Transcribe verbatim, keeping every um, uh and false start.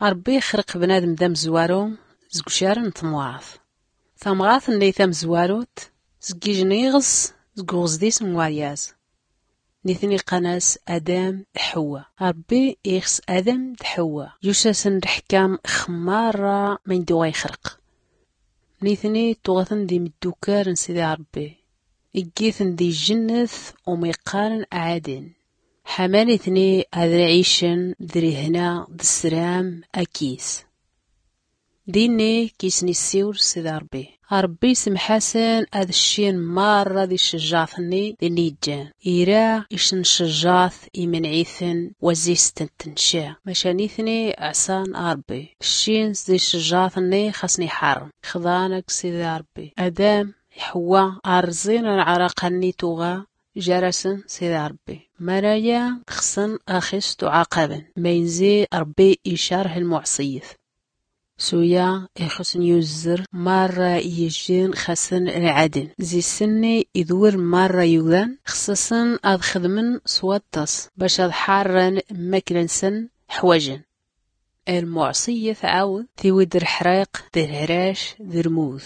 Rbbi ixrq bnadm d amzwaru zg ucar n tmɣrt. Tamɣrt nni tamzwarut zg ijn iɣs zg uɣzdis n waryaz. Nitni qqan-as adam d ḥewwa. Rbbi ixs adam d ḥewwa, yusasn lḥkam x marra mndu ɣa ixrq. Nitni tuɣtn d imddukal n sidi rbbi, iggitn di jnnt, u miqqarn ɛadn. Ḥaman itni ad ɛicn d lihna d sram akis. Dinni kisn issiwr sidi rbbi. Rbbi ismḥasn ad ccin marra di cjrat nni dinni ijjan. Ira icn cjrat imnɛitn wa zistn tnca, maca nitni ɛṣan rbbi. Ccin di cjrat nni xasn iḥarm. Xḍan ak sidi rbbi. Adam ḥewwa rẓin n ɛraqan nni tuɣa jarasn sidi rbbi. Maraya xsn axis tuɛaqabn maynzi rbbi icarh lmuɛṣiyt. Suya ixsn yuzzr marra ijjin xasn lɛadn zisn nni idwr marra yudan xsasn ad xdmn swaṭṭs bac ad ḥarrn mmakla nsn ḥwajn. Lmuɛṣiyt tɛawd tiwid lḥriq d lhrac d lmut.